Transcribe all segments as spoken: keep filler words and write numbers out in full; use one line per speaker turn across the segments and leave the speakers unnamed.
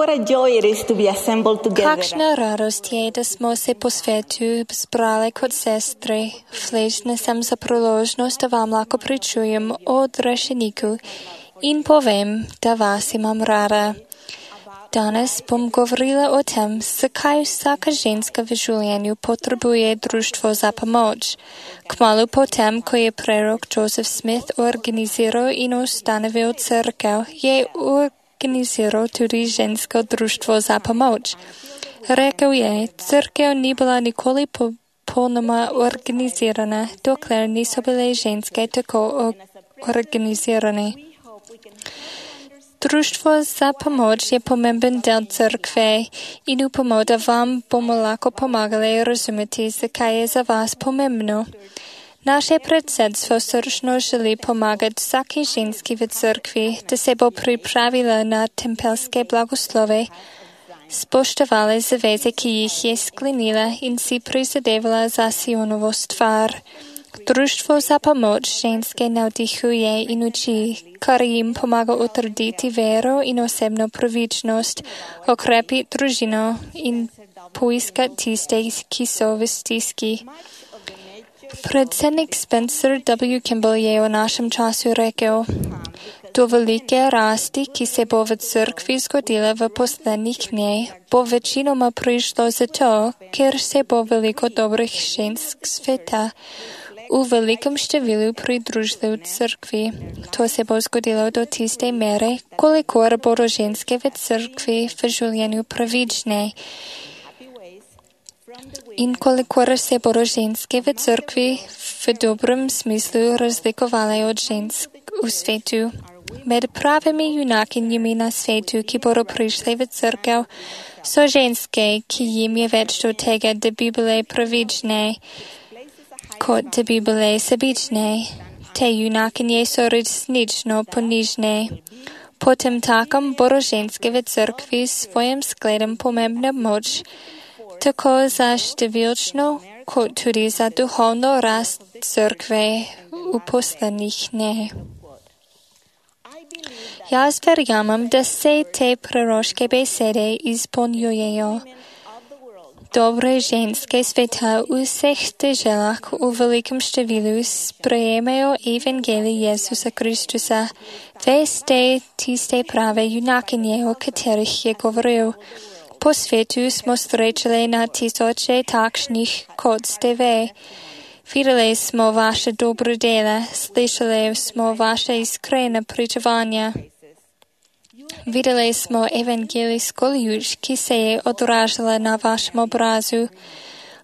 What a joy it is to be assembled together.
Kakšna radost je, da smo se po svetu zbrali kot sestre. Hvaležna sem za priložnost, da vam lahko pričujem o odrešeniku in povem, da vas imam rada. Danes bom govorila o tem, zakaj vsaka ženska v življenju potrebuje društvo za pomoč. Kmalu potem, ko je prerok Joseph Smith organiziral in ustanovil cerkev, je organiziral tudi žensko društvo za pomoč. Rekel je, cerkev ni bila nikoli popolnoma organizirana, dokler niso bile ženske tako organizirane. Društvo za pomoč je pomemben del cerkve in upamo, da vam bomo lahko pomagali razumeti, zakaj je za vas pomembno. Naše predsedstvo srčno želi pomagati vsaki ženski v cerkvi, da se bo pripravila na tempelske blagoslove, spoštovala zaveze, ki jih je sklenila in si prizadevala za Sionovo stvar. Društvo za pomoč ženske navdihuje in uči, kar jim pomaga utrditi vero in osebno pravičnost, okrepi družino in poiskati tiste, ki so v stiski. Predsednik Spencer W. Kimball je v našem času rekel, do velike rasti, ki se bo v cerkvi zgodila v poslednjih dneh, bo večinoma prišlo zato, ker se bo veliko dobrih žensk sveta v velikem številu pridružili v cerkvi. To se bo zgodilo do tiste mere, kolikor bodo ženske v cerkvi v življenju pravične. In kolikor se bodo ženske v cerkvi v dobrem smislu razlikovale od žensk v svetu. Med pravimi junakinjami na svetu, ki bodo prišli v cerkev, so ženske, ki jim je več do tega, da bi bile pravične, kot da bi bile sebične. Te junakinje so resnično ponižne. Potem takom bodo ženske v cerkvi s svojim skledom pomembna moč, tako za številčno, kot tudi za duhovno rast cerkve v poslednjih dneh. Jaz verjamem, da se te proroške besede izpolnjujejo. Dobre ženske sveta v vseh deželah v velikem številu sprejemajo evangelij Jezusa Kristusa. Veste tiste prave junakinje, o katerih je govoril. Po svetu smo srečali na tisoče takšnih, kot ste ve. Videli smo vaše dobre dela, slišali smo vaše iskrene pričevanja. Videli smo evangelijsko luč, ki se je odražala na vašem obrazu.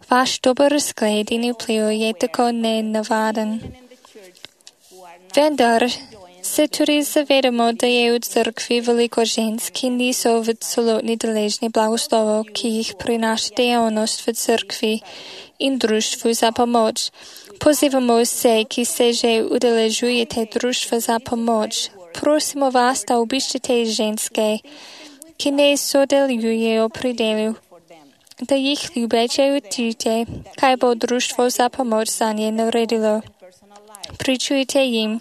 Vaš dober zgled in vpliv je tako nenavaden. Vendar se tudi zavedamo, da je v cerkvi veliko žensk, ki niso v celotni deležni blagoslovov, ki jih prinaša dejavnost v cerkvi in društvu za pomoč. Pozivamo vse, ki se že udeležujete društva za pomoč. Prosimo vas, da obiščete ženske, ki ne sodelujejo pri delu, da jih ljubeče učite, kaj bo društvo za pomoč za nje naredilo. Pričujte jim,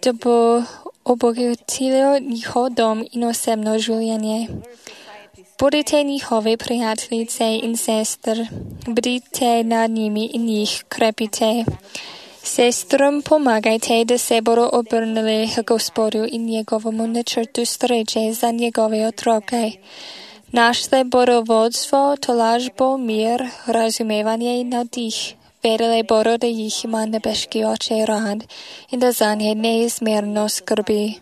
da bo obogatilo njihov dom in osebno življenje. Budite njihove prijateljice in sester, bdite nad njimi in jih krepite. Sestrom pomagajte, da se bodo obrnili k Gospodu in njegovemu načrtu sreče za njegove otroke. Našle bodo vodstvo, tolažbo, mir, razumevanje in navdih. Vedeli bodo, da jih ima nebeški oče rad in da za nje neizmerno skrbi.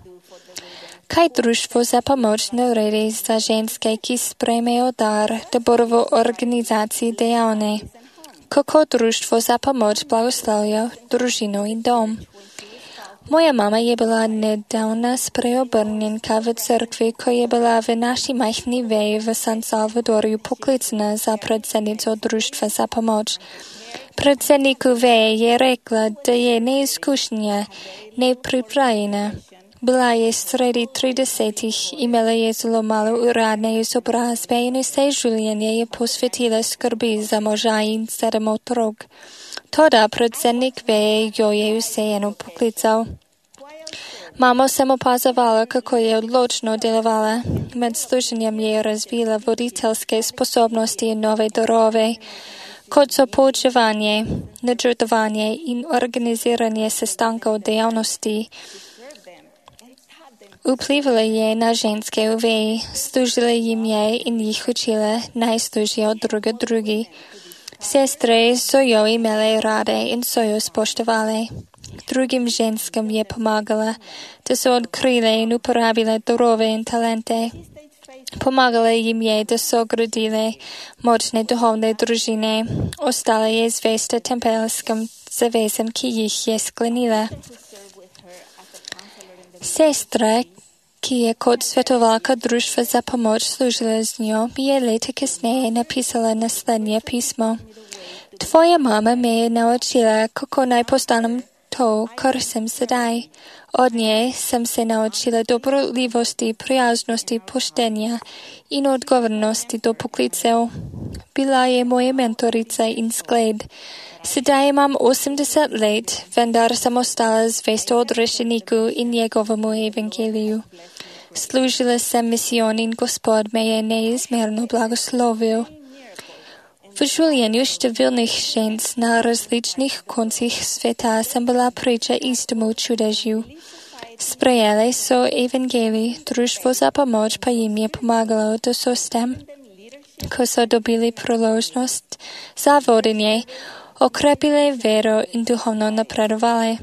Kaj društvo za pomoč naredi za ženske, ki sprejmejo dar, da bodo v organizaciji dejavne? Kako društvo za pomoč blagoslavlja družino in dom? Moja mama je bila nedavna spreobrnjenka v cerkvi, ko je bila v naši majhni veji v San Salvadorju poklicana za predsednico društva za pomoč. Predsedniku veje je rekla, da je neizkušnja, nepripravljena. Bila je sredi tridesetih, imela je zelo malo uradne izobrazbe in vse življenje je posvetila skrbi za moža in sedem otrok. Toda predsednik veje jo je vseeno poklical. Mamo jsem opazovala, kako je odločno dělovala. Med služenjem je razvila voditelské sposobnosti i nové darove, kot so poučevanje, načrtovanje in organiziranje sestankov dejavnosti. Vplivala je na ženske v veji, služila jim je in jih učila, naj služijo druga drugi. Sestre so jo imele rade in so jo spoštovale. Drugim ženskam je pomagala, da so odkrile in uporabile darove in talente. Pomagala jim je, da so gradile močne duhovne družine. Ostala je zvesta tempelskim zavezam, ki jih je sklenila. Sestra, ki je kot svetovalka društva za pomoč služila z njo, mi je leta kasneje napisala naslednje pismo. Tvoja mama me je naučila, kako naj postanem to, kar sem sedaj. Od nje sem se naučila dobroljivosti, prijaznosti, poštenja in odgovornosti do poklicev. Bila je moja mentorica in zgled. Sedaj imam osemdeset let, vendar sem ostala zvesta odrešeniku in njegovemu evangeliju. Služila sem misijon in Gospod me je neizmerno blagoslovil. V življenju številnih žensk na različnih koncih sveta sem bila priča istemu čudežju. Sprejele so evangelij, društvo za pomoč pa jim je pomagalo, da so s tem, ko so dobili priložnost za vodenje, okrepile vero in duhovno napredovale.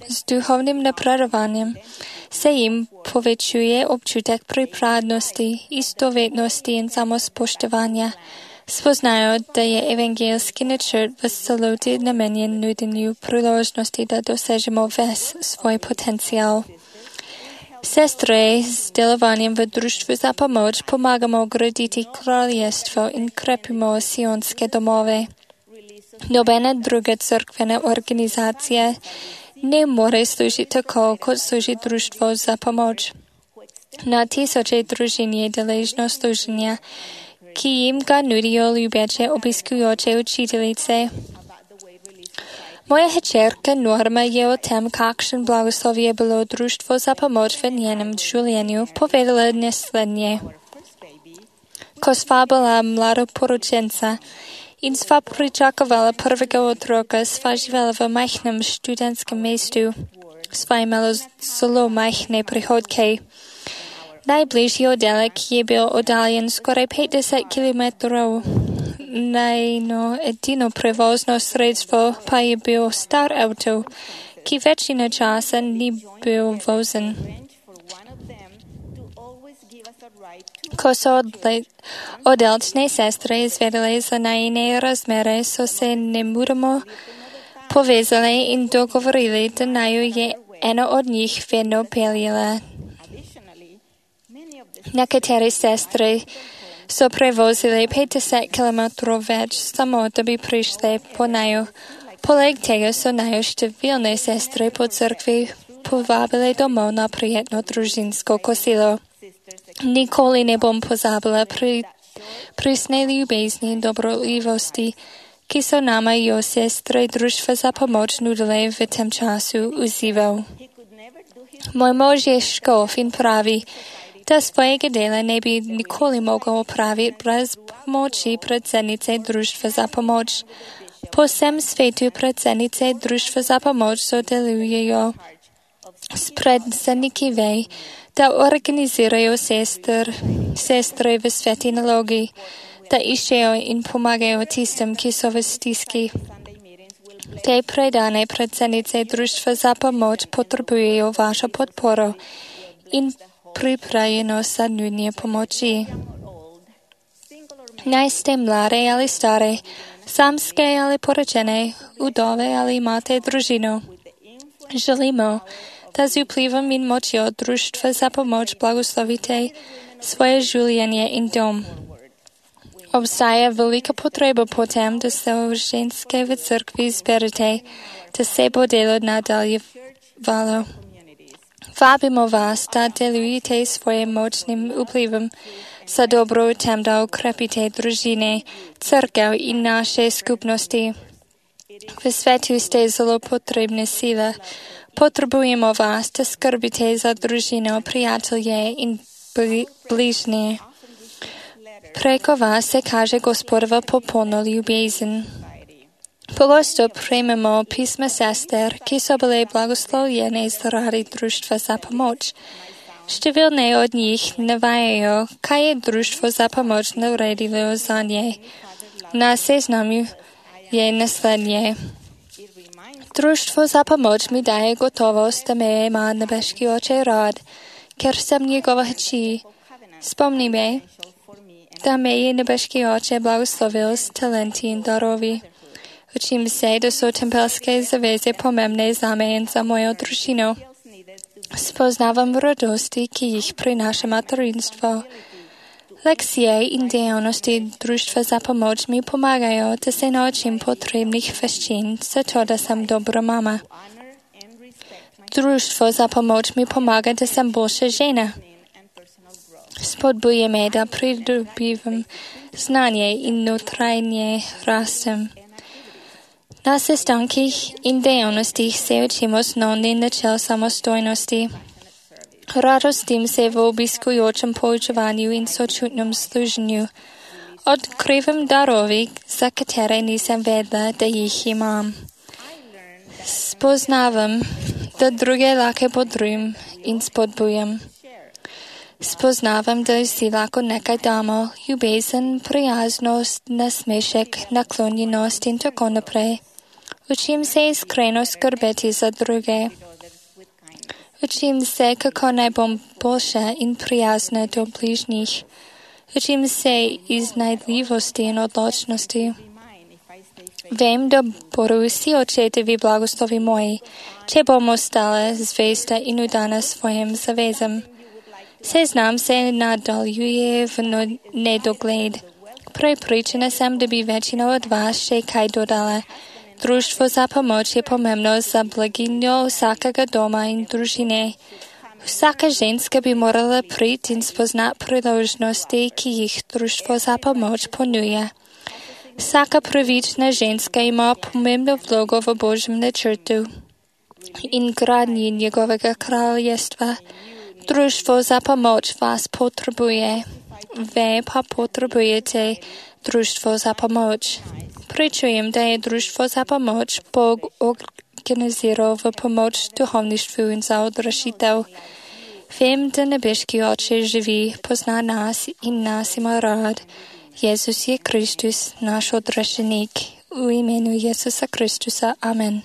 Z duhovnim napredovanjem se jim povečuje občutek pripadnosti, istovetnosti in samospoštovanja. Spoznajo, da je evangelski načrt v celoti namenjen nudenju priložnosti, da dosežemo ves svoj potencial. Sestre z delovanjem v društvu za pomoč pomagamo graditi kraljestvo in krepimo sionske domove. Nobena druga crkvena organizacija ne more služiti tako, kot služi društvo za pomoč. Na tisoče družin je deležno služenja, ki jim ga nudijo ljubeče obiskujoče učiteljice. Moja hčerka Norma je o tem, kakšen blagoslov je bilo društvo za pomoč v njenem življenju, povedala naslednje. Ko sva bila mladoporočenca in sva pričakovala prvega otroka, sva živela v majhnem študentskem mestu. Sva imela zelo majhne prihodke. Najbližji oddelek je bil oddaljen skoraj petdeset kilometrov. Najno edino prevozno sredstvo pa je bil star avto, ki večina časa ni bil vozen. Ko so oddelčne sestre izvedele za najine razmere, so se nemudoma povezale in dogovorili, da naju je ena od njih vedno peljala. Nekatere sestre so prevozili petdeset kilometrov več, samo da bi prišle po naju. Poleg tega so naju številne sestre po crkvi povabile domov na prijetno družinsko kosilo. Nikoli ne bom pozabila pri prisne ljubezni in dobroljivosti, ki so nama jo sestre društva za pomoč nudile v tem času užival. Moj mož je škof in pravi, da svojega dela ne bi nikoli mogel opraviti brez pomoči predsednice društva za pomoč. Po vsem svetu predsednice društva za pomoč sodelujejo s predsedniki vej, da organizirajo sester, sestre v sveti nalogi, da iščejo in pomagajo tistim, ki so v stiski. Te predane predsednice društva za pomoč potrebujejo vašo podporo in pripravljenost za nudnje pomoči. Naj ste mlade ali stare, samske ali poročene, udove ali imate družino. Želimo, da z vplivom in močjo društva za pomoč blagoslovite svoje življenje in dom. Obstaja velika potreba po tem, da se ženske v crkvi zberete, da se bo delo nadaljevalo. Vabimo vas, da delujete svojim močnim vplivom za dobro v tem, da ukrepite družine, crkev in naše skupnosti. V svetu ste zelo potrebne sile. Potřebujeme vás, da skrbíte za družinu, přátelé i blížní. Preko vás se káže Gospodova poplno ljubězen. Pogosto přijmeme písma sester, ki jsou byly blagoslověny z rady družstva za pomoc. Številné od nich nevají, kaj je družstvo za pomoc neuredilo za ně. Na seznamu je následně. Družstvo za pomoc mi daje gotovost, da mě má nebeský oče rád, ker jsem někoho chcí. Vzpomníme, da mě nebeský oče blagoslovil s talenty a darovi. Učím se, da jsou tempelské zavězy pomemné za mě jen za moju družinu. Spoznávám radosti, ki jich přináší materinstvo. Lekcie i dělnosti družstva za pomoc mi pomáhají, da se naučím potřebných věcí, za to, da jsem dobrá mama. Družstvo za pomoc mi pomáhá, da jsem bolší žena. Spodbuje mě, da přidobívám znání i nutrajně rastem. Na sestankách i dělnostích se učíme osnovný načel samostojnosti. Radostím se v obiskujícím poučování i sočutném služení. Odkrývám daroví, za které nejsem vedla, da jich mám. Spoznávám, da druhé láke po druhém in spodbujem. Spoznávám, da jsi lako nekaj damo, ljubezen, prijaznost, nasmešek, naklonjenost in tako naprej. Učím se iskreno skrbeti za druge. Učím se, kako naj bom boljša in prijazna do bližnjih. Učím se iznajdljivosti in odločnosti. Vem, da bodo vsi očetovi blagoslovi moji, če bomo stale zvesta in udana svojim zavezam. Seznam se nadaljuje v nedogled. Prepričana sem, da bi večina od vas še kaj dodala. Društvo za pomoč je pomembno za blaginjo vsakega doma in družine. Vsaka ženska bi morala priti in spoznati priložnosti, ki jih društvo za pomoč ponuja. Vsaka pravična ženska ima pomembno vlogo v Božjem načrtu in gradnji njegovega kraljestva. Društvo za pomoč vas potrebuje. Ve pa potrebujete društvo za pomoč. Pričujem, da je društvo za pomoč Bog organiziral v pomoč duhovništvu in za odrešitev. Vem, da nebeški oče živi, pozna nas in nas ima rad. Jezus je Kristus, naš odrešenik. V imenu Jezusa Kristusa. Amen.